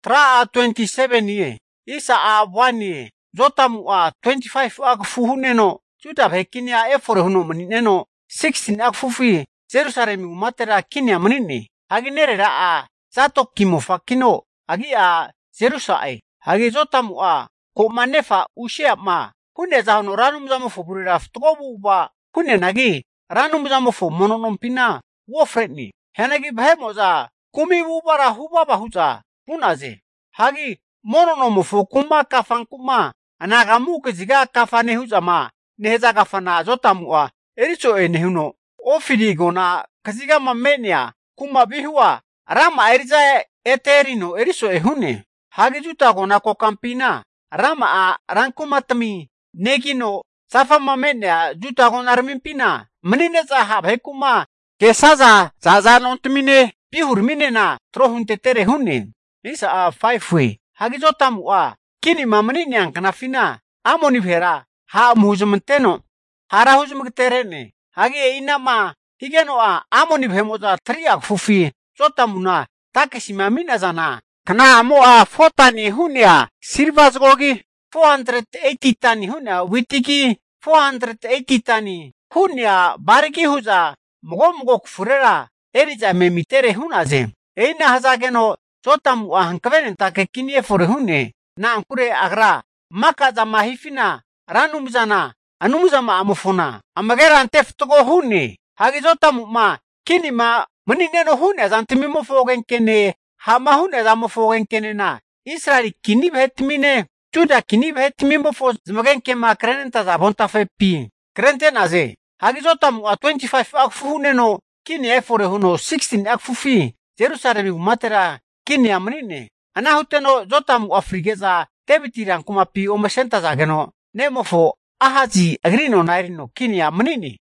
tra 27 ye. Isa 1 ye. Jotam 25 akfuhune no. Juda bekinia efore huno menine no. 16 akfufi. Jerusalem umatera kinia menine. Hagi nerera zato kimofa kino. Hagi Jerusalem. Hagi Jotam ko manefa ushia ma. Hune zahono ranum zamo fuburira ftobu ba. Hune nagi ranum zamo fu mononompina. Wofretni. Henagi behemoza. Kumi bubara hubaba huza. Punaze. Hagi mononomo fu kuma kafan kuma. Anagamu keziga kafane huza ma. Neheza kafana Jotam ericho nehuno. Ofirigo na keziga mamenia. Kuma bihua. Rama eriza eterino ericho ehune. Hagi juta gona kokampina. Rama rankumatami. Negino safa mamenia juta gona armimpina. Menine zaha bekuma. Kesaza zaza nontumine. Bihur minena trohunte tere hune. Isa 5 way. Hagi Jotam kini mamani ang kanafina. Amoni vera. Ha muzumenteno. Hara huzumterene. Hagi inama. Higeno amoni vemoza 3 akfufi. Jotamuna. Takesimamina zana. Kana amo fotani hunia. Silvas gogi. 480 tani hunia. Witiki 480 tani. Hunia bariki huza. Mogo kufurera. Eriza memitere hunaze. Eina hazageno. Jotam hankavenen takekinie fore hune. Na ankure agra. Maka za mahifina. Ranumzana. Anumzama amufuna. Amagera anteftogo hune. Hagi Jotam kini menineno hune zantimimo fogen kene. Hama hune zamo fogen kene na. Israeli kini behetmine. Juda kini behetmimo fo zmogen kema krenenta za bonta fepi. Krenten aze. Hagi Jotam 25 akfuhune no. Kini efore huno 16 akfufi. Jerusalem umatera kini amnine. Anahuteno Jotam afrigeza tebitiran kumapi omesenta zageno. Nemofo ahazi agrino nairino kini amnine.